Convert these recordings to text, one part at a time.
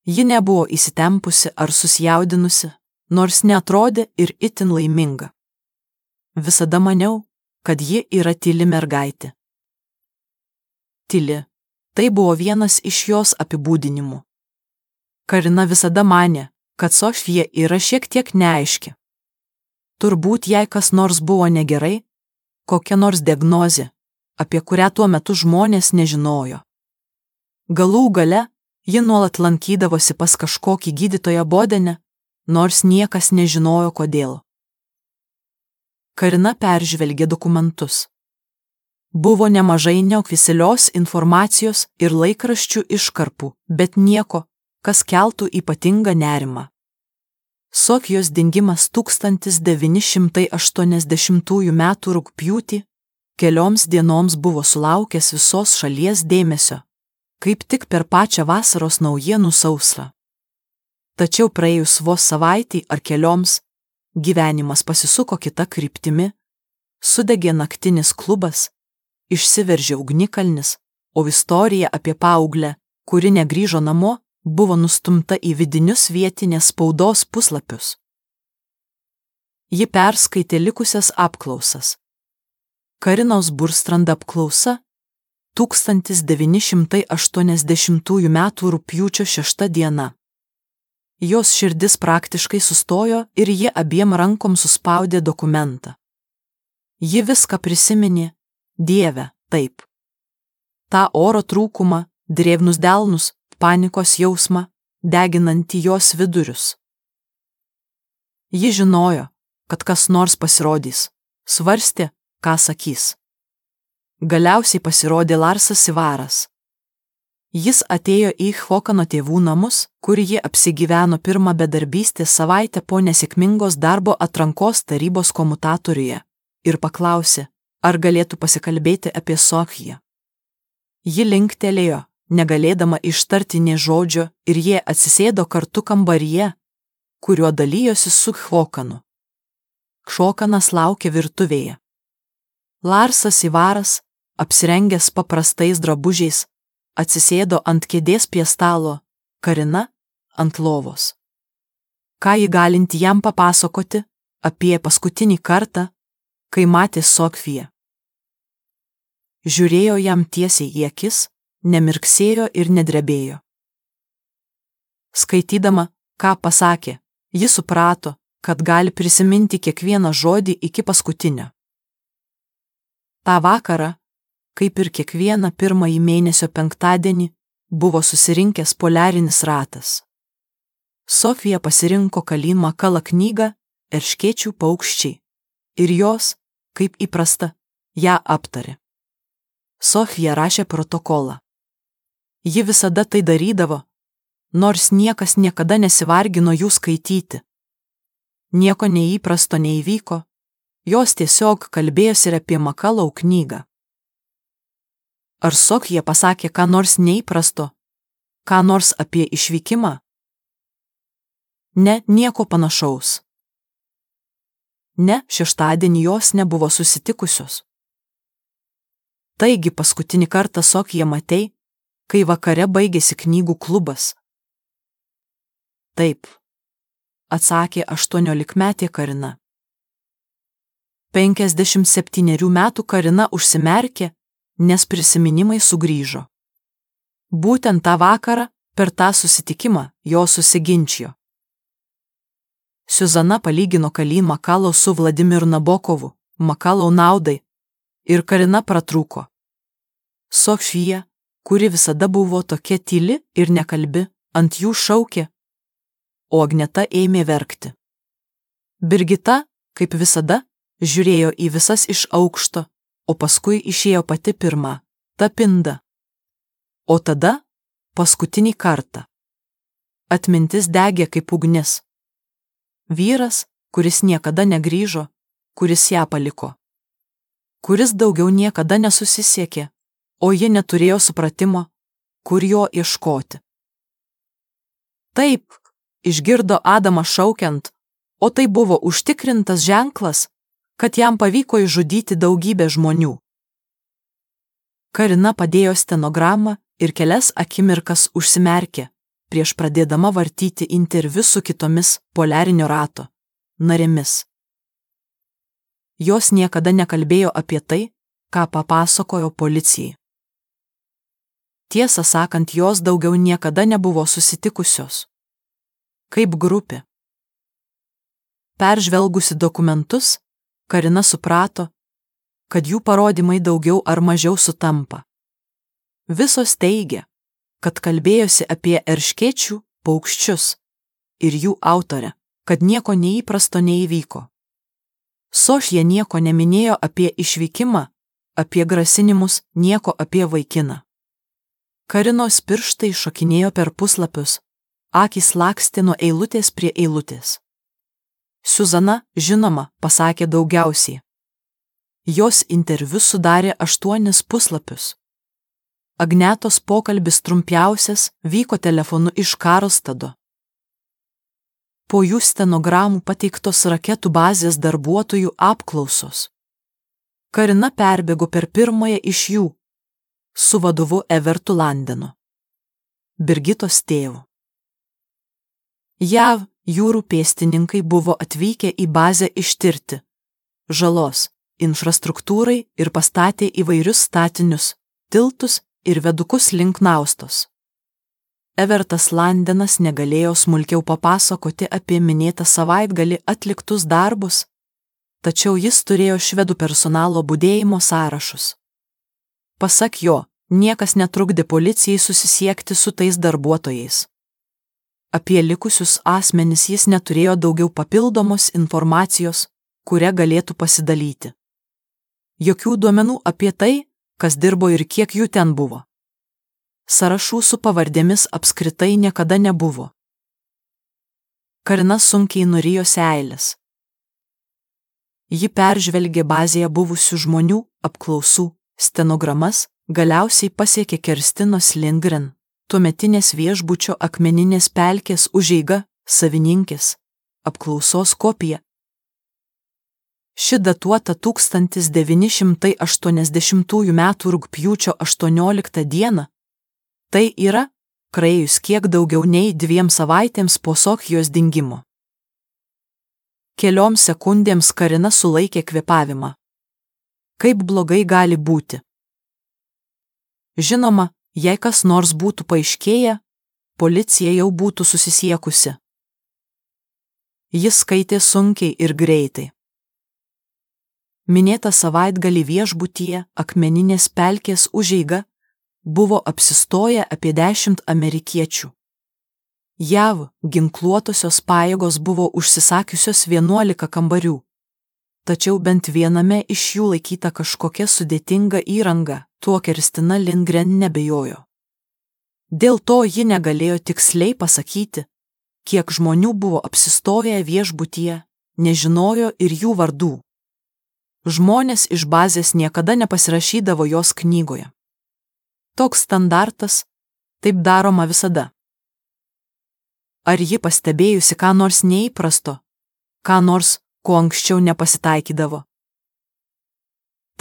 Ji nebuvo įsitempusi ar susijaudinusi, nors neatrodė ir itin laiminga. Visada maniau, kad ji yra tyli mergaitė. Tyli. Tai buvo vienas iš jos apibūdinimų. Karina visada manė, kad Sofija yra šiek tiek neaiški. Turbūt jai kas nors buvo negerai, kokia nors diagnozė, apie kurią tuo metu žmonės nežinojo. Galų gale ji nuolat lankydavosi pas kažkokį gydytoją Bodene, nors niekas nežinojo kodėl. Karina peržvelgė dokumentus. Buvo nemažai neoficialios informacijos ir laikraščių iškarpų, bet nieko, kas keltų ypatingą nerimą. Sofijos dingimas 1980 m. rugpjūtį kelioms dienoms buvo sulaukęs visos šalies dėmesio, kaip tik per pačią vasaros naujienų sausrą. Tačiau praėjus vos savaitei ar kelioms, gyvenimas pasisuko kita kryptimi, sudegė naktinis klubas, išsiveržė ugnikalnis, o istorija apie paauglę, kuri negrįžo namo, buvo nustumta į vidinius vietinės spaudos puslapius. Ji perskaitė likusias apklausas. Karinos Burstrand apklausa 1980 m. rugpjūčio 6 diena. Jos širdis praktiškai sustojo ir ji abiem rankom suspaudė dokumentą. Ji viską prisiminė, Dieve, taip. Ta oro trūkumą, drėgnus delnus, panikos jausmą, deginantį jos vidurius. Ji žinojo, kad kas nors pasirodys, svarstė, ką sakys. Galiausiai pasirodė Larsas Ivaras. Jis atėjo į Hvokano tėvų namus, kur ji apsigyveno pirmą bedarbystės savaitę po nesėkmingos darbo atrankos tarybos komutatoriuje, ir paklausė, ar galėtų pasikalbėti apie Sofiją. Ji linktelėjo, negalėdama ištarti nė žodžio, ir jie atsisėdo kartu kambaryje, kuriuo dalijosi su Hvokanu. Hvakanas laukė virtuvėje. Larsas Ivaras, apsirengęs paprastais drabužiais, atsisėdo ant kėdės prie stalo, Karina ant lovos. Ką ji galinti jam papasakoti apie paskutinį kartą, kai matė Sofiją? Žiūrėjo jam tiesiai į akis, nemirksėjo ir nedrebėjo. Skaitydama, ką pasakė, ji suprato, kad gali prisiminti kiekvieną žodį iki paskutinio. Ta vakarą, kaip ir kiekvieną pirmąjį mėnesio penktadienį, buvo susirinkęs poliarinis ratas. Sofija pasirinko Kalin Makala knygą Erškėčių paukščiai ir jos, kaip įprasta, ją aptarė. Sofija rašė protokolą. Ji visada tai darydavo, nors niekas niekada nesivargino jų skaityti. Nieko neįprasto neįvyko, jos tiesiog kalbėjosi ir apie Makalau knygą. Ar Sofija pasakė ką nors neįprasto, ką nors apie išvykimą? Ne, nieko panašaus. Ne, šeštadienį jos nebuvo susitikusios. Taigi paskutinį kartą Sofiją matei, kai vakare baigėsi knygų klubas. Taip, atsakė 18-metė Karina. 57 metų Karina užsimerkė, nes prisiminimai sugrįžo. Būtent tą vakarą, per tą susitikimą, jos susiginčijo. Siuzana palygino Kalin Makalo su Vladimiru Nabokovu, Makalau naudai, ir Karina pratrūko. Sofija, kuri visada buvo tokia tyli ir nekalbi, ant jų šaukė, o Agneta ėmė verkti. Birgita, kaip visada, žiūrėjo į visas iš aukšto, o paskui išėjo pati pirma, ta pinda. O tada, paskutinį kartą. Atmintis degė kaip ugnis. Vyras, kuris niekada negrįžo, kuris ją paliko. Kuris daugiau niekada nesusisiekė, o ji neturėjo supratimo, kur jo ieškoti. Taip, išgirdo Adamą šaukiant, o tai buvo užtikrintas ženklas, kad jam pavyko išžudyti daugybę žmonių. Karina padėjo stenogramą ir kelias akimirkas užsimerkė, prieš pradėdama vartyti interviu su kitomis poliarinio rato narėmis. Jos niekada nekalbėjo apie tai, ką papasakojo policijai. Tiesą sakant, jos daugiau niekada nebuvo susitikusios. Kaip grupė. Peržvelgusi dokumentus, Karina suprato, kad jų parodymai daugiau ar mažiau sutampa. Visos teigia, kad kalbėjosi apie erškėčių paukščius ir jų autorę, kad nieko neįprasto neįvyko. Sošija nieko neminėjo apie išvykimą, apie grasinimus, nieko apie vaikiną. Karinos pirštai šokinėjo per puslapius, akys lakstė nuo eilutės prie eilutės. Suzana, žinoma, pasakė daugiausiai. Jos interviu sudarė 8 puslapius. Agnetos pokalbis trumpiausias vyko telefonu iš Karlstado. Po jų stenogramų pateiktos raketų bazės darbuotojų apklausos. Karina perbėgo per pirmąją iš jų, su vadovu Evertu Landenu, Birgitos tėvu. JAV jūrų pėstininkai buvo atvykę į bazę ištirti žalos infrastruktūrai ir pastatė įvairius statinius, tiltus ir vedukus link Naustos. Evertas Landenas negalėjo smulkiau papasakoti apie minėtą savaitgalį atliktus darbus, tačiau jis turėjo švedų personalo budėjimo sąrašus. Pasak jo, niekas netrukdė policijai susisiekti su tais darbuotojais. Apie likusius asmenis jis neturėjo daugiau papildomos informacijos, kuria galėtų pasidalyti. Jokių duomenų apie tai, kas dirbo ir kiek jų ten buvo. Sąrašų su pavardėmis apskritai niekada nebuvo. Karina sunkiai nurijo seiles. Ji peržvelgė bazėje buvusių žmonių apklausų stenogramas, galiausiai pasiekė Kerstinos Lindgren, tuometinės viešbučio Akmeninės pelkės užeiga savininkės apklausos kopiją. Ši datuota 1980 m. rugpjūčio 18 d. Tai yra, praėjus kiek daugiau nei 2 savaitėms po Sochijos dingimo. Kelioms sekundėms Karina sulaikė kvėpavimą. Kaip blogai gali būti? Žinoma, jei kas nors būtų paaiškėję, policija jau būtų susisiekusi. Jis skaitė sunkiai ir greitai. Minėtą savaitgalį viešbutyje Akmeninės pelkės užeiga buvo apsistoję apie 10 amerikiečių. JAV ginkluotosios pajėgos buvo užsisakiusios 11 kambarių, tačiau bent viename iš jų laikyta kažkokia sudėtinga įranga, tuo Kerstina Lindgren nebejojo. Dėl to ji negalėjo tiksliai pasakyti, kiek žmonių buvo apsistoję viešbutyje, nežinojo ir jų vardų. Žmonės iš bazės niekada nepasirašydavo jos knygoje. Toks standartas, taip daroma visada. Ar ji pastebėjusi ką nors neįprasto, ką nors, ko anksčiau nepasitaikydavo?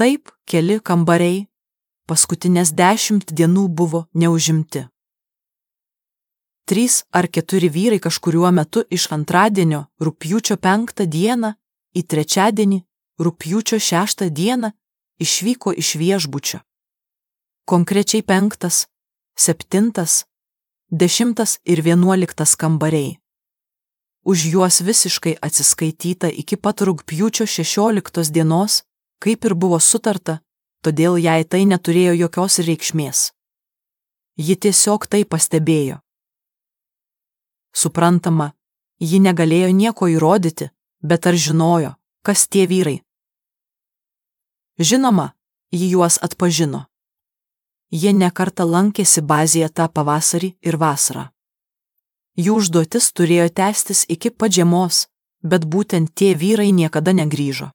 Taip, keli kambariai, paskutinės 10 dienų buvo neužimti. 3 ar 4 vyrai kažkuriuo metu iš antradienio rugpjūčio 5 dieną į trečiadienį rugpjūčio 6 dieną išvyko iš viešbučio. Konkrečiai 5, 7, 10 ir 11 kambariai. Už juos visiškai atsiskaityta iki pat rugpjūčio 16 dienos, kaip ir buvo sutarta, todėl jai tai neturėjo jokios reikšmės. Ji tiesiog tai pastebėjo. Suprantama, ji negalėjo nieko įrodyti, bet ar žinojo, kas tie vyrai? Žinoma, ji juos atpažino. Jie nekartą lankėsi bazėje tą pavasarį ir vasarą. Jų užduotis turėjo tęstis iki pat žiemos, bet būtent tie vyrai niekada negrįžo.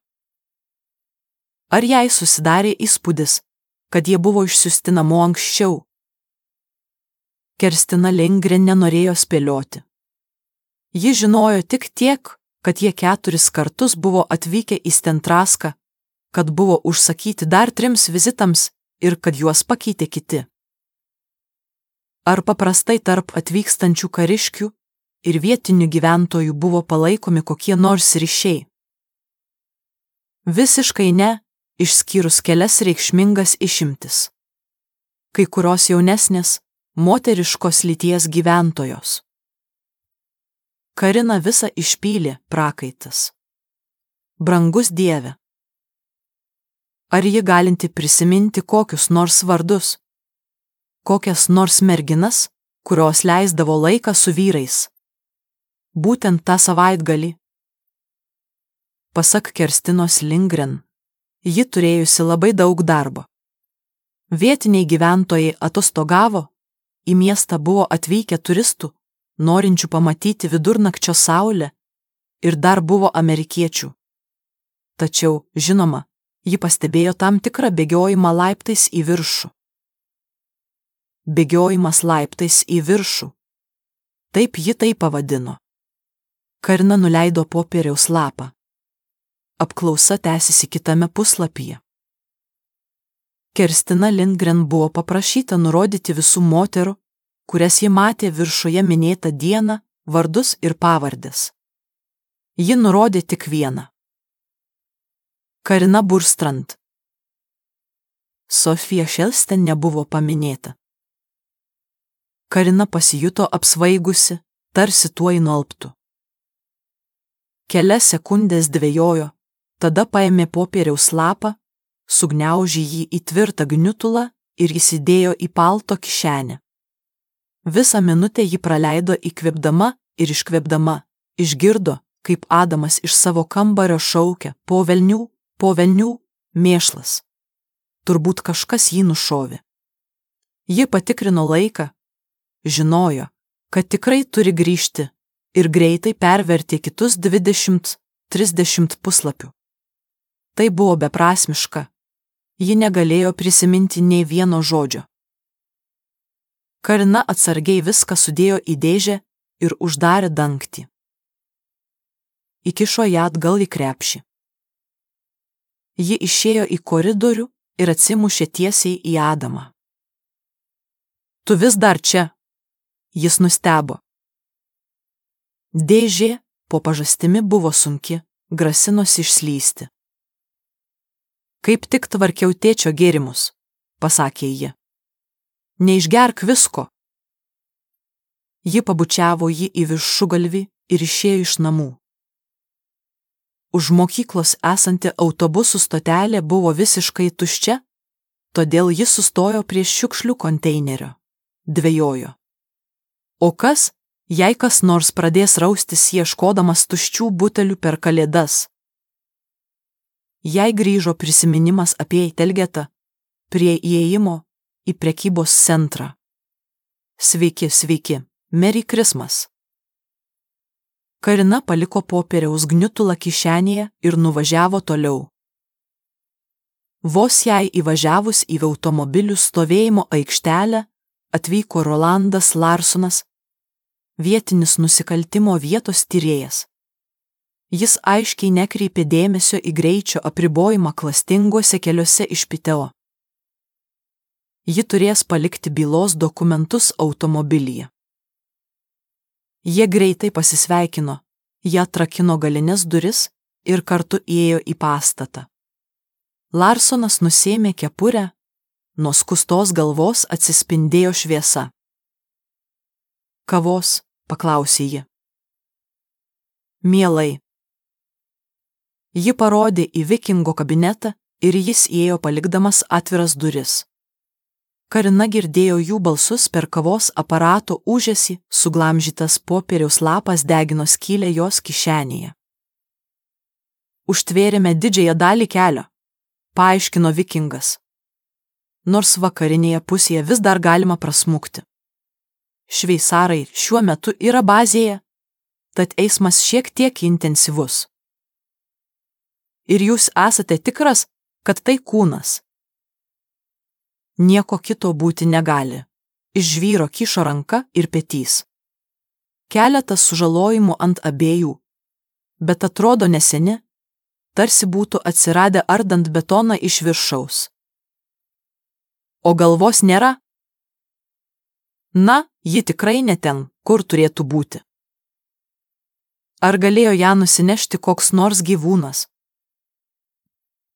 Ar jai susidarė įspūdis, kad jie buvo išsiųsti namo anksčiau? Kerstina Lindgren nenorėjo spėlioti. Ji žinojo tik tiek, kad jie 4 kartus buvo atvykę į Stentraską, kad buvo užsakyti dar 3 vizitams ir kad juos pakeitė kiti. Ar paprastai tarp atvykstančių kariškių ir vietinių gyventojų buvo palaikomi kokie nors ryšiai? Visiškai ne, išskyrus kelias reikšmingas išimtis. Kai kurios jaunesnės, moteriškos lyties gyventojos. Kariną visą išpylė prakaitas. Brangus Dieve. Ar ji galinti prisiminti kokius nors vardus? Kokias nors merginas, kurios leisdavo laiką su vyrais? Būtent tą savaitgalį. Pasak Kerstinos Lindgren, ji turėjusi labai daug darbo. Vietiniai gyventojai atostogavo, į miestą buvo atvykę turistų, norinčių pamatyti vidurnakčio saulę, ir dar buvo amerikiečių. Tačiau, žinoma, ji pastebėjo tam tikrą bėgiojimą laiptais į viršų. Bėgiojimas laiptais į viršų. Taip ji tai pavadino. Karina nuleido popieriaus lapą. Apklausa tęsiasi kitame puslapyje. Kerstina Lindgren buvo paprašyta nurodyti visų moterų, kurias ji matė viršuje minėtą dieną, vardus ir pavardes. Ji nurodė tik vieną. Karina Burstrand. Sofija Šelsten nebuvo paminėta. Karina pasijuto apsvaigusi, tarsi tuoj nualptų. Kelias sekundės dvejojo, tada paėmė popieriaus lapą, sugniaužė jį į tvirtą gniutulą ir įsidėjo į palto kišenę. Visą minutę ji praleido įkvėpdama ir iškvėpdama, išgirdo, kaip Adamas iš savo kambario šaukia: po velnių, mėšlas. Turbūt kažkas jį nušovė. Ji patikrino laiką, žinojo, kad tikrai turi grįžti, ir greitai pervertė kitus 20-30 puslapių. Tai buvo beprasmiška. Ji negalėjo prisiminti nei vieno žodžio. Karina atsargiai viską sudėjo į dėžę ir uždarė dangtį. Įkišo ją atgal į krepšį. Ji išėjo į koridorių ir atsimušė tiesiai į Adamą. Tu vis dar čia? Jis nustebo. Dėžė po pažastimi buvo sunki, grasinosi išslysti. Kaip tik tvarkiau tėčio gėrimus, pasakė ji. Neišgerk visko. Ji pabučiavo jį į viršugalvį ir išėjo iš namų. Už mokyklos esanti autobusų stotelė buvo visiškai tuščia, todėl ji sustojo prie šiukšlių konteinerio. Dvejojo. O kas, jei kas nors pradės raustis ieškodamas tuščių butelių per Kalėdas? Jai grįžo prisiminimas apie Telgetą, prie įėjimo į prekybos centrą. Sveiki, Merry Christmas. Karina paliko popieriaus gniutulą kišenėje ir nuvažiavo toliau. Vos jai įvažiavus į automobilių stovėjimo aikštelę, atvyko Rolandas Larsonas, vietinis nusikaltimo vietos tyrėjas. Jis aiškiai nekreipė dėmesio į greičio apribojimą klastinguose keliuose iš Piteo. Ji turės palikti bylos dokumentus automobilyje. Jie greitai pasisveikino, jie atrakino galines duris ir kartu įėjo į pastatą. Larsonas nusėmė kepurę, nuo skustos galvos atsispindėjo šviesa. Kavos, paklausė ji. Mielai. Ji parodė į vikingo kabinetą ir jis įėjo palikdamas atviras duris. Karina girdėjo jų balsus per kavos aparato ūžesį, suglamžytas popieriaus lapas degino skylę jos kišenėje. Užtvėrėme didžiąją dalį kelio, paaiškino vikingas. Nors vakarinėje pusėje vis dar galima prasmukti. Šveicarai šiuo metu yra bazėje, tad eismas šiek tiek intensyvus. Ir jūs esate tikras, kad tai kūnas? Nieko kito būti negali. Iš žvyro kyšo ranka ir petys. Keletas sužalojimų ant abiejų, bet atrodo neseni, tarsi būtų atsiradę ardant betoną iš viršaus. O galvos nėra? Na, ji tikrai ne ten, kur turėtų būti. Ar galėjo ją nusinešti koks nors gyvūnas?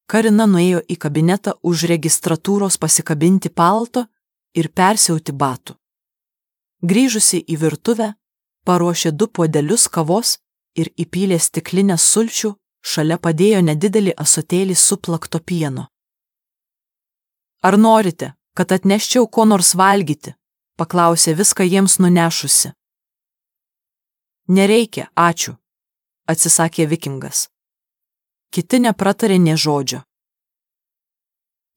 Karina nuėjo į kabinetą už registratūros pasikabinti palto ir persiauti batų. Grįžusi į virtuvę, paruošė 2 puodelius kavos ir įpylė stiklinės sulčių, šalia padėjo nedidelį ąsotėlį suplakto pieno. Ar norite, kad atneščiau ko nors valgyti? Paklausė viską jiems nunešusi. Nereikia, ačiū, atsisakė Vikingas. Kiti nepratarė nė žodžio.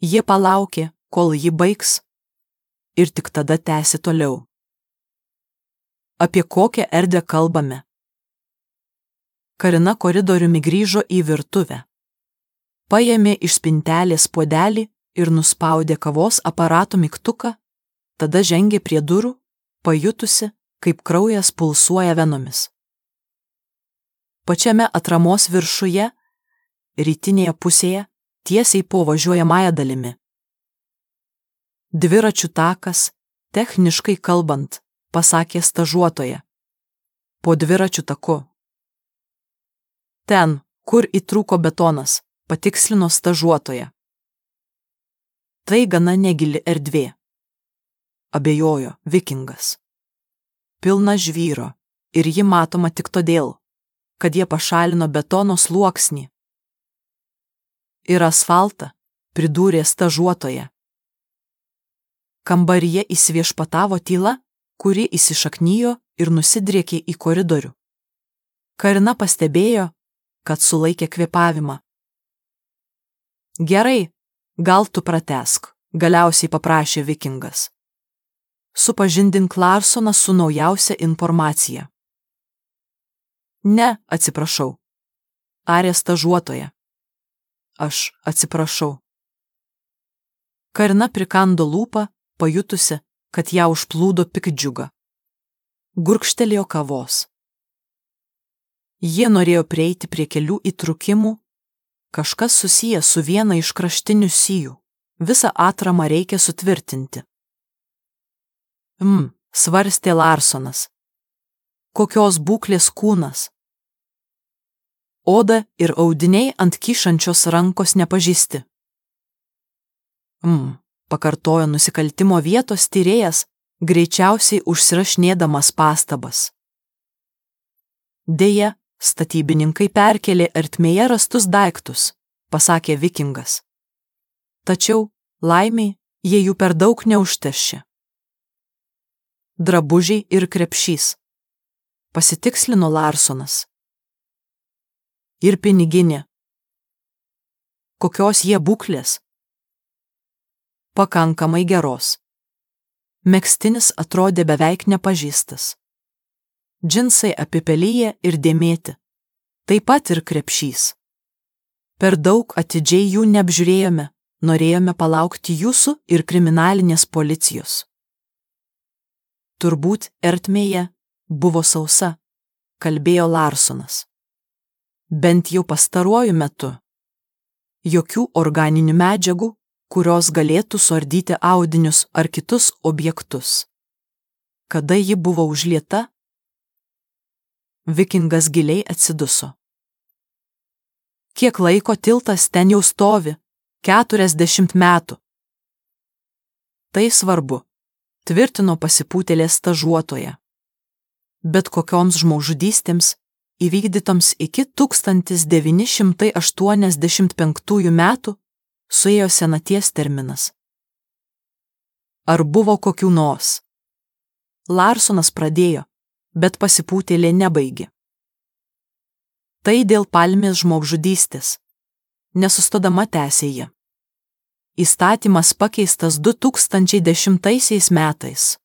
Jie palaukė, kol ji baigs, ir tik tada tęsė toliau. Apie kokią erdvę kalbame? Karina koridoriumi grįžo į virtuvę. Paėmė iš spintelės puodelį ir nuspaudė kavos aparato mygtuką, tada žengė prie durų, pajutusi, kaip kraujas pulsuoja venomis. Pačiame atramos viršuje, rytinėje pusėje, tiesiai po važiuojamąją dalimi. Dviračių takas, techniškai kalbant, pasakė stažuotoja. Po dviračių taku. Ten, kur įtrūko betonas, patikslino stažuotoja. Tai gana negili erdvė. Abejojo Vikingas. Pilna žvyro, ir ji matoma tik todėl, kad jie pašalino betono sluoksnį. Ir asfaltą, pridūrė stažuotoja. Kambaryje įsiviešpatavo tyla, kuri įsišaknijo ir nusidriekė į koridorių. Karina pastebėjo, kad sulaikė kvėpavimą. Gerai, gal tu pratęsk, galiausiai paprašė Vikingas. Supažindink Larsoną su naujausia informacija. Ne, atsiprašau. Arė stažuotoja. Aš atsiprašau. Karina prikando lūpą, pajutusi, kad ją užplūdo piktdžiuga. Gurkštelėjo kavos. Jie norėjo prieiti prie kelių įtrūkimų, kažkas susijęs su viena iš kraštinių sijų. Visą atramą reikia sutvirtinti. Svarstė Larsonas. Kokios būklės kūnas? Oda ir audiniai ant kyšančios rankos nepažįsti. Pakartojo nusikaltimo vietos tyrėjas, greičiausiai užsirašinėdamas pastabas. Deja, statybininkai perkelė ertmėje rastus daiktus, pasakė Vikingas. Tačiau, laimiai, jie jų per daug neužteršė. Drabužiai ir krepšys, pasitikslino Larsonas. Ir piniginė. Kokios jie būklės? Pakankamai geros. Megztinis atrodė beveik nepažįstas. Džinsai apipelyje ir dėmėti. Taip pat ir krepšys. Per daug atidžiai jų neapžiūrėjome, norėjome palaukti jūsų ir kriminalinės policijos. Turbūt ertmėje buvo sausa, kalbėjo Larsonas. Bent jau pastaruoju metu. Jokių organinių medžiagų, kurios galėtų suardyti audinius ar kitus objektus. Kada ji buvo užlieta? Vikingas giliai atsiduso. Kiek laiko tiltas ten jau stovi? 40 metų. Tai svarbu, tvirtino pasipūtėlė stažuotoja. Bet kokioms žmogžudystėms, įvykdytoms iki 1985 metų, suėjo senaties terminas. Ar buvo kokių nors? Larsonas pradėjo, bet pasipūtėlė nebaigė. Tai dėl palmės žmogžudystės. Nesustodama tęsė ji. Įstatymas pakeistas 2010 metais.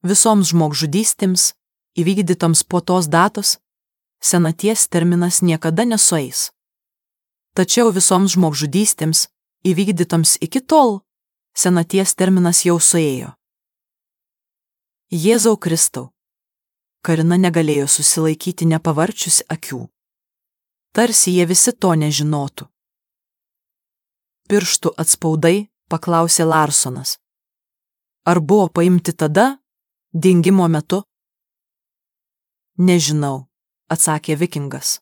Visoms žmogžudystėms, įvykdytoms po tos datos, senaties terminas niekada nesueis. Tačiau visoms žmogžudystėms, įvykdytoms iki tol, senaties terminas jau suėjo. Jėzau Kristau. Karina negalėjo susilaikyti nepavarčiusi akių. Tarsi jie visi to nežinotų. Pirštų atspaudai, paklausė Larsonas. Ar buvo paimti tada, Dingimo metu? Nežinau, atsakė vikingas.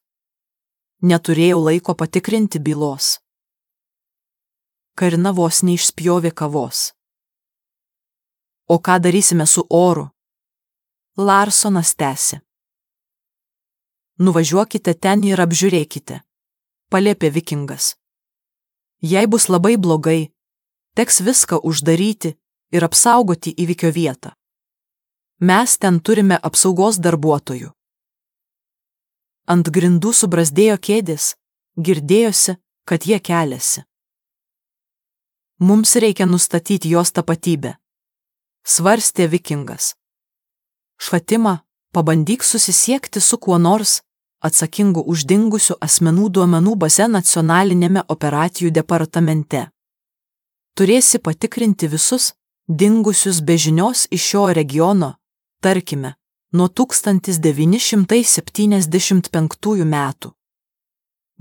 Neturėjau laiko patikrinti bylos. Karina vos neišspjovė kavos. O ką darysime su oru? Larsonas tęsė. Nuvažiuokite ten ir apžiūrėkite, paliepė vikingas. Jei bus labai blogai, teks viską uždaryti ir apsaugoti įvykio vietą. Mes ten turime apsaugos darbuotojų. Ant grindų subrazdėjo kėdės, girdėjosi, kad jie keliasi. Mums reikia nustatyti jos tapatybę, svarstė vikingas. Švatima, pabandyk susisiekti su kuo nors atsakingu už dingusių asmenų duomenų baze nacionalinėme operacijų departamente. Turėsi patikrinti visus dingusius be žinios iš šio regiono, tarkime, nuo 1975 metų.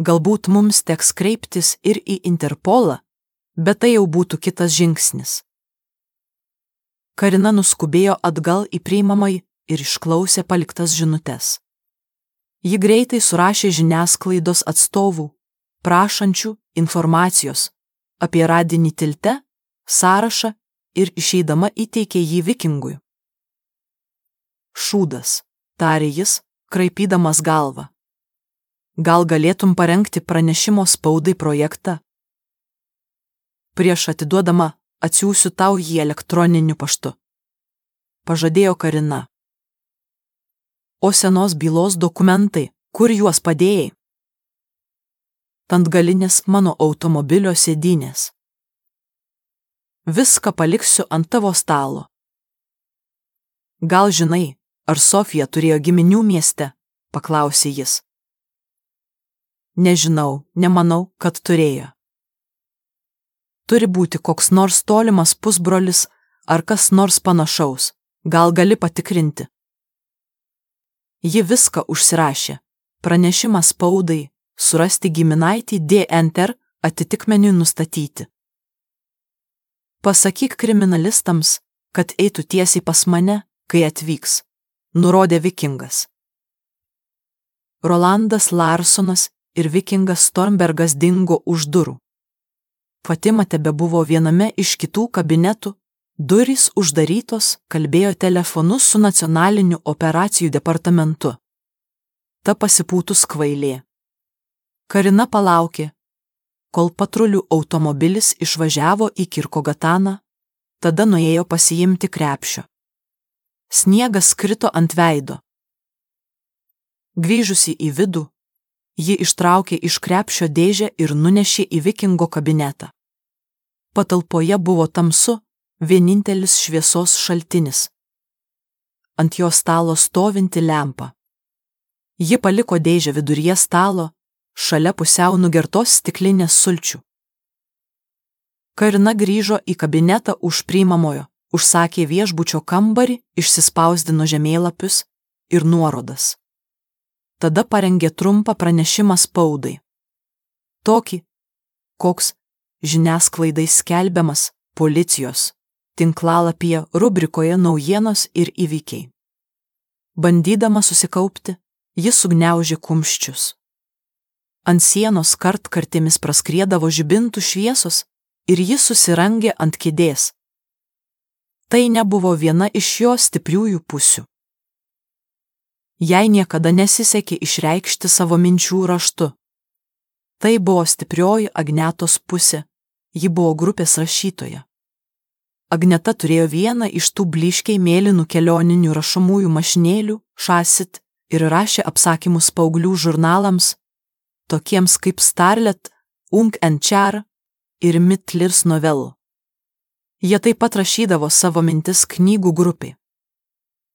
Galbūt mums teks kreiptis ir į Interpolą, bet tai jau būtų kitas žingsnis. Karina nuskubėjo atgal į priimamąjį ir išklausė paliktas žinutes. Ji greitai surašė žiniasklaidos atstovų, prašančių informacijos apie radinį tilte, sąrašą ir išeidama įteikė jį vikingui. Šūdas, tarė jis, kraipydamas galvą. Gal galėtum parengti pranešimo spaudai projektą? Prieš atiduodama atsiųsiu tau jį elektroniniu paštu, pažadėjo Karina. O senos bylos dokumentai, kur juos padėjai? Ant galinės mano automobilio sėdynės. Viską paliksiu ant tavo stalo. Gal žinai, ar Sofija turėjo giminių mieste? Paklausė jis. Nežinau, nemanau, kad turėjo. Turi būti koks nors tolimas pusbrolis ar kas nors panašaus, gal gali patikrinti. Ji viską užsirašė, pranešimą spaudai, surasti giminaitį DNR atitikmeniui nustatyti. Pasakyk kriminalistams, kad eitų tiesiai pas mane, kai atvyks, nurodė vikingas. Rolandas Larsonas ir vikingas Stormbergas dingo už durų. Fatima tebebuvo viename iš kitų kabinetų, durys uždarytos, kalbėjo telefonu su nacionaliniu operacijų departamentu. Ta pasipūtus kvailė. Karina palaukė, kol patrulių automobilis išvažiavo į Kirkogataną, tada nuėjo pasiimti krepšio. Sniegas krito ant veido. Grįžusi į vidų, ji ištraukė iš krepšio dėžę ir nunešė į vikingo kabinetą. Patalpoje buvo tamsu, vienintelis šviesos šaltinis. Ant jo stalo stovinti lempa. Ji paliko dėžę viduryje stalo, šalia pusiau nugertos stiklinės sulčių. Karina grįžo į kabinetą už priimamojo, užsakė viešbučio kambarį, išsispausdino žemėlapius ir nuorodas. Tada parengė trumpą pranešimą spaudai. Tokį, koks žiniasklaidai skelbiamas policijos tinklalapyje rubrikoje naujienos ir įvykiai. Bandydama susikaupti, jis sugniaužė kumščius. Ant sienos kartkartėmis praskriedavo žibintų šviesos ir jis susirangė ant kėdės. Tai nebuvo viena iš jo stipriųjų pusių. Jai niekada nesisekė išreikšti savo minčių raštu. Tai buvo stiprioji Agnetos pusė, ji buvo grupės rašytoja. Agneta turėjo vieną iš tų blyškiai mėlynų kelioninių rašomųjų mašinėlių, šasit, ir rašė apsakymus paauglių žurnalams, tokiems kaip Starlet, Ung and Char ir Mittlers novelų. Jie taip pat rašydavo savo mintis knygų grupiai.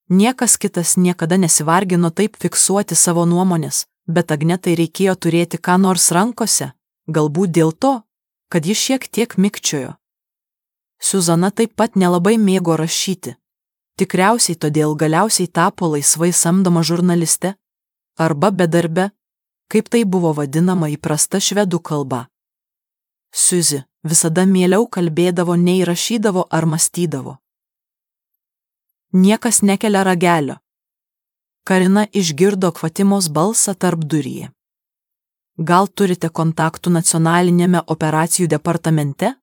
Niekas kitas niekada nesivargino taip fiksuoti savo nuomonės, bet Agnetai reikėjo turėti ką nors rankose, galbūt dėl to, kad ji šiek tiek mikčiojo. Suzana taip pat nelabai mėgo rašyti, tikriausiai todėl galiausiai tapo laisvai samdoma žurnaliste, arba bedarbe, kaip tai buvo vadinama įprasta švedų kalba. Suzi visada mieliau kalbėdavo nei rašydavo ar mąstydavo. Niekas nekelia ragelio. Karina išgirdo Kvatimos balsą tarpduryje. Gal turite kontaktų nacionalinėme operacijų departamente?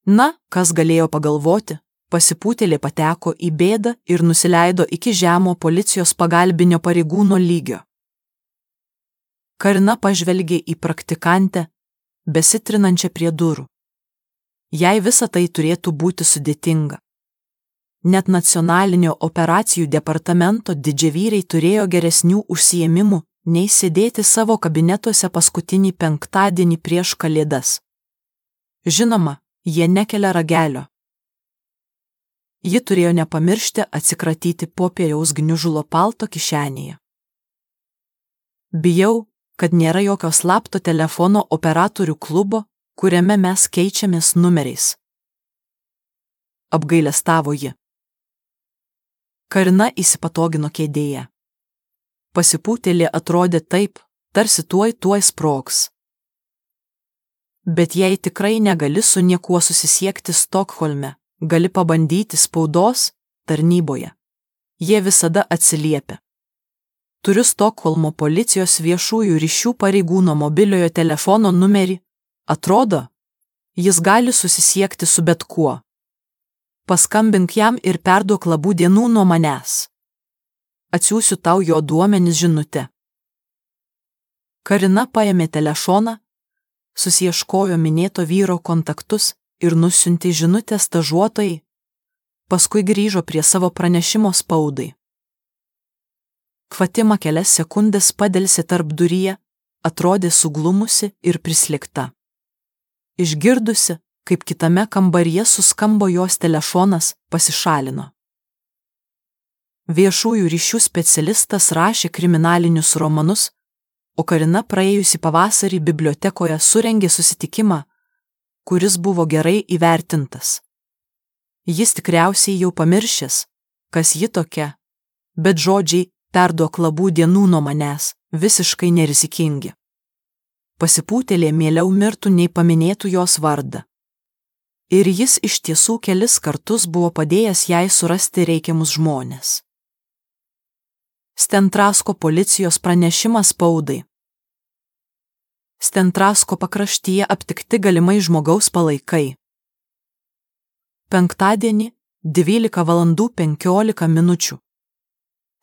Na, kas galėjo pagalvoti, pasipūtėlė pateko į bėdą ir nusileido iki žemo policijos pagalbinio pareigūno lygio. Karina pažvelgė į praktikantę, besitrinančią prie durų. Jai visa tai turėtų būti sudėtinga. Net nacionalinio operacijų departamento didžiavyriai turėjo geresnių užsiėmimų, nei sėdėti savo kabinetuose paskutinį penktadienį prieš Kalėdas. Žinoma, jie nekelia ragelio. Ji turėjo nepamiršti atsikratyti popieriaus gniužulo palto kišenėje. Bijau, kad nėra jokio slapto telefono operatorių klubo, kuriame mes keičiamės numeriais. Apgailestavo ji. Karina įsipatogino kėdėje. Pasipūtėlė atrodė taip, tarsi tuoj sprogs. Bet jei tikrai negali su niekuo susisiekti Stokholme, gali pabandyti spaudos tarnyboje. Jie visada atsiliepia. Turiu Stokholmo policijos viešųjų ryšių pareigūno mobiliojo telefono numerį. Atrodo, jis gali susisiekti su bet kuo. Paskambink jam ir perduok labų dienų nuo manęs. Atsiųsiu tau jo duomenis žinute. Karina paėmė telefoną, susiieškojo minėto vyro kontaktus ir nusiuntė žinutę stažuotojai, paskui grįžo prie savo pranešimo spaudai. Kvatima kelias sekundės padelsė tarpduryje, atrodė suglumusi ir prislėgta. Išgirdusi, kaip kitame kambaryje suskambo jos telefonas, pasišalino. Viešųjų ryšių specialistas rašė kriminalinius romanus, o Karina praėjusį pavasarį bibliotekoje surengė susitikimą, kuris buvo gerai įvertintas. Jis tikriausiai jau pamiršęs, kas ji tokia, bet žodžiai perduok labų dienų nuo manęs visiškai nerizikingi. Pasipūtėlė mieliau mirtų nei paminėtų jos vardą. Ir jis iš tiesų kelis kartus buvo padėjęs jai surasti reikiamus žmones. Stentrasko policijos pranešimas spaudai. Stentrasko pakraštyje aptikti galimai žmogaus palaikai. Penktadienį 12:15.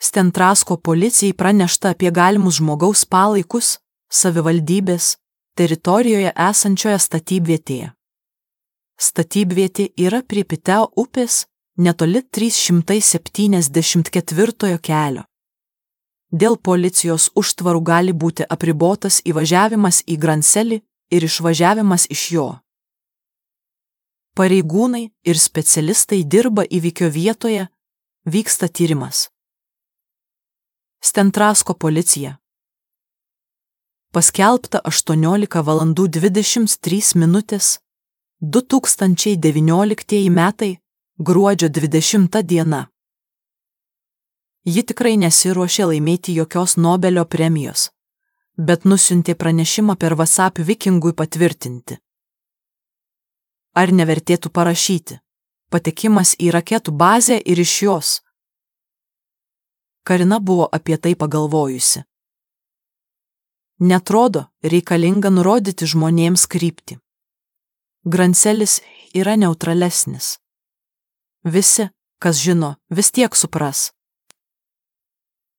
Stentrasko policijai pranešta apie galimus žmogaus palaikus savivaldybės teritorijoje esančioje statybvietėje. Statybvietė yra prie Piteo upės, netoli 374 kelio. Dėl policijos užtvarų gali būti apribotas įvažiavimas į Granselį ir išvažiavimas iš jo. Pareigūnai ir specialistai dirba įvykio vietoje, vyksta tyrimas. Stentrasko policija. Paskelbta 18:23 2019 metai, gruodžio 20 diena. Ji tikrai nesiruošė laimėti jokios Nobelio premijos, bet nusiuntė pranešimą per WhatsApp Vikingui patvirtinti. Ar nevertėtų parašyti? Patekimas į raketų bazę ir iš jos. Karina buvo apie tai pagalvojusi. Netrodo reikalinga nurodyti žmonėms kryptį. Granselis yra neutralesnis. Visi, kas žino, vis tiek supras.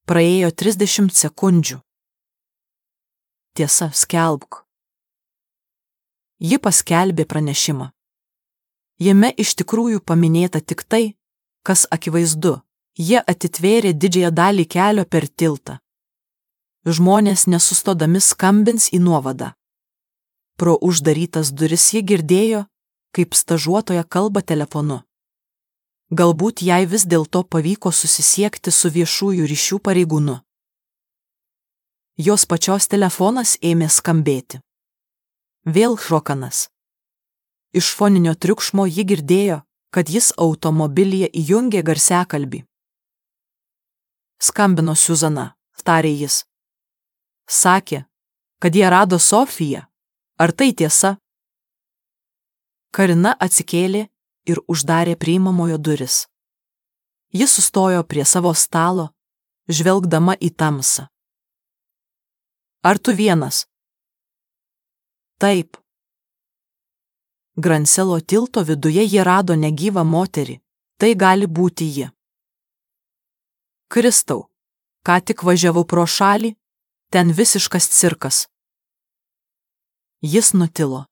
Praėjo 30 sekundžių. Tiesa, skelbk. Ji paskelbė pranešimą. Jame iš tikrųjų paminėta tik tai, kas akivaizdu, jie atitvėrė didžiąją dalį kelio per tiltą. Žmonės nesustodami skambins į nuovadą. Pro uždarytas duris ji girdėjo, kaip stažuotoja kalba telefonu. Galbūt jai vis dėlto pavyko susisiekti su viešųjų ryšių pareigūnu. Jos pačios telefonas ėmė skambėti. Vėl šokanas. Iš foninio triukšmo ji girdėjo, kad jis automobilyje įjungė garsiakalbį. Skambino Suzana, tarė jis. Sakė, kad jie rado Sofiją. Ar tai tiesa? Karina atsikėlė ir uždarė priimamojo duris. Ji sustojo prie savo stalo, žvelgdama į tamsą. Ar tu vienas? Taip. Granselo tilto viduje jie rado negyvą moterį. Tai gali būti ji. Kristau, ką tik važiavau pro šalį, ten visiškas cirkas. Jis nutilo.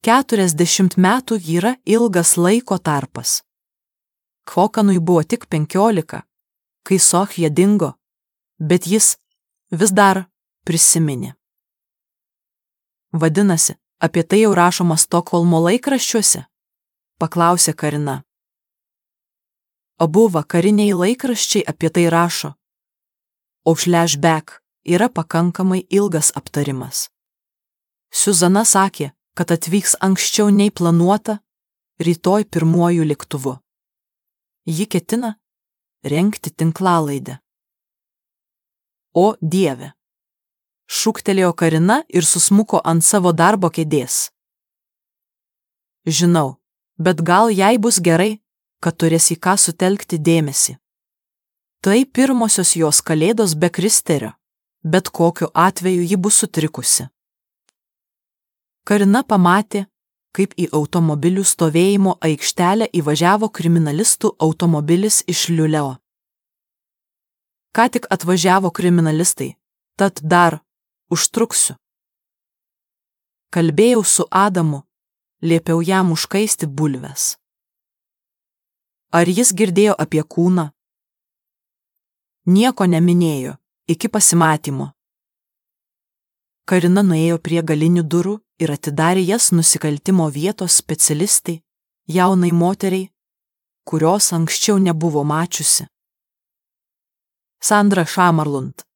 40 metų yra ilgas laiko tarpas. Kvokanui buvo tik 15, kai Sofija dingo, bet jis vis dar prisiminė. Vadinasi, apie tai jau rašoma Stokholmo laikraščiuose? Paklausė Karina. Abu vakariniai laikraščiai apie tai rašo, o flashback yra pakankamai ilgas aptarimas. Suzana sakė, kad atvyks anksčiau nei planuota, rytoj pirmuoju lėktuvu. Ji ketina rengti tinklalaidę. O Dieve! Šūktelėjo Karina ir susmuko ant savo darbo kėdės. Žinau, bet gal jai bus gerai, kad turės į ką sutelkti dėmesį. Tai pirmosios jos kalėdos be Kristerio, bet kokiu atveju ji bus sutrikusi. Karina pamatė, kaip į automobilių stovėjimo aikštelę įvažiavo kriminalistų automobilis iš Liuleo. Ką tik atvažiavo kriminalistai, tad dar užtruksiu. Kalbėjau su Adamu, liepiau jam užkaisti bulves. Ar jis girdėjo apie kūną? Nieko neminėjo, iki pasimatymo. Karina nuėjo prie galinių durų ir atidarė jas nusikaltimo vietos specialistai, jaunai moteriai, kurios anksčiau nebuvo mačiusi. Sandra Šamarlund,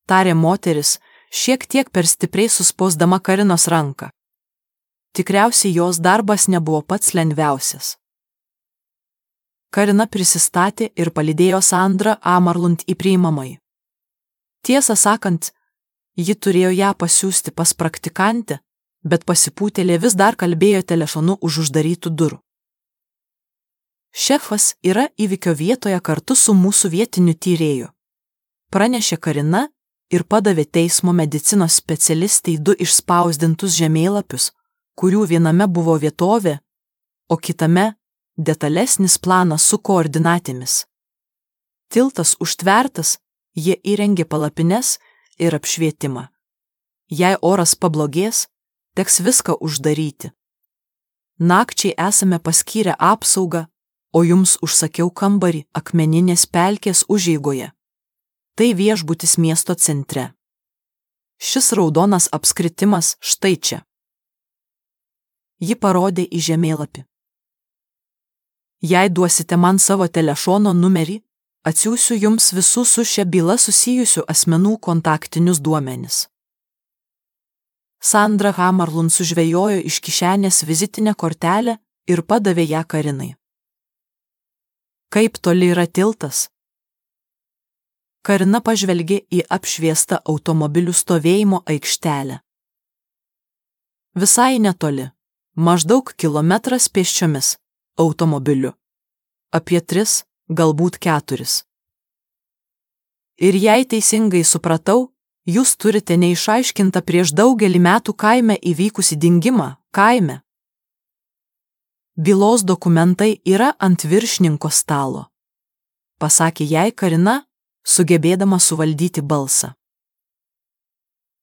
tarė moteris, šiek tiek per stipriai suspausdama Karinos ranką. Tikriausiai jos darbas nebuvo pats lengviausias. Karina prisistatė ir palydėjo Sandrą Amarlund į priimamąjį. Tiesą sakant, ji turėjo ją pasiųsti pas praktikantę, bet pasipūtėlė vis dar kalbėjo telefonu už uždarytų durų. Šefas yra įvykio vietoje kartu su mūsų vietiniu tyrėju, pranešė Karina ir padavė teismo medicinos specialistai 2 išspausdintus žemėlapius, kurių viename buvo vietovė, o kitame detalesnis planas su koordinatėmis. Tiltas užtvertas, jie įrengė palapines ir apšvietimą. Jei oras pablogės, teks viską uždaryti. Nakčiai esame paskyrę apsaugą, o jums užsakiau kambarį akmeninės pelkės užeigoje. Tai viešbutis miesto centre. Šis raudonas apskritimas štai čia. Ji parodė į žemėlapį. Jei duosite man savo telefono numerį, atsiųsiu jums visų su šia byla susijusių asmenų kontaktinius duomenis. Sandra Hamarlund sužvejojo iš kišenės vizitinę kortelę ir padavė ją Karinai. Kaip toli yra tiltas? Karina pažvelgė į apšviestą automobilių stovėjimo aikštelę. Visai netoli, maždaug kilometras pėsčiomis, automobiliu. Apie 3, galbūt 4. Ir jei teisingai supratau, jūs turite neišaiškintą prieš daugelį metų kaime įvykusį dingimą, kaime. Bylos dokumentai yra ant viršininko stalo, pasakė jai Karina, sugebėdama suvaldyti balsą.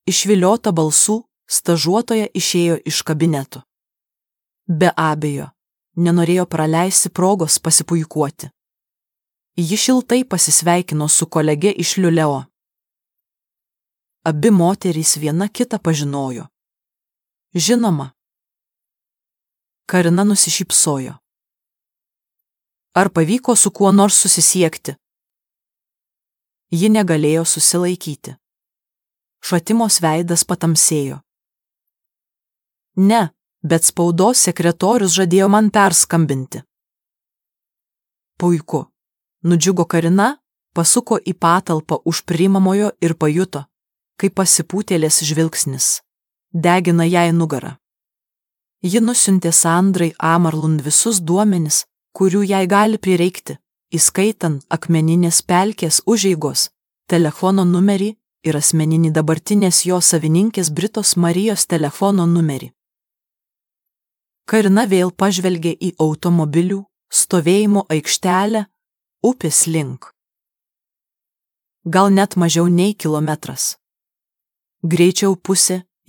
Išviliota balsų, stažuotoja išėjo iš kabineto. Be abejo, nenorėjo praleisti progos pasipuikuoti. Ji šiltai pasisveikino su kolege iš Liuleo. Abi moterys viena kitą pažinojo. Žinoma. Karina nusišypsojo. Ar pavyko su kuo nors susisiekti? Ji negalėjo susilaikyti. Šatimos veidas patamsėjo. Ne, bet spaudos sekretorius žadėjo man perskambinti. Puiku. Nudžiugo Karina, pasuko į patalpą už priimamojo ir pajuto, kaip pasipūtėlės žvilgsnis degina jai nugarą. Ji nusiuntė Sandrai Amarlund visus duomenis, kurių jai gali prireikti, įskaitant akmeninės pelkės užeigos, telefono numerį ir asmeninį dabartinės jo savininkės Britos Marijos telefono numerį. Karina vėl pažvelgė į automobilių stovėjimo aikštelę upės link. Gal net mažiau nei kilometras. Greičiau pusė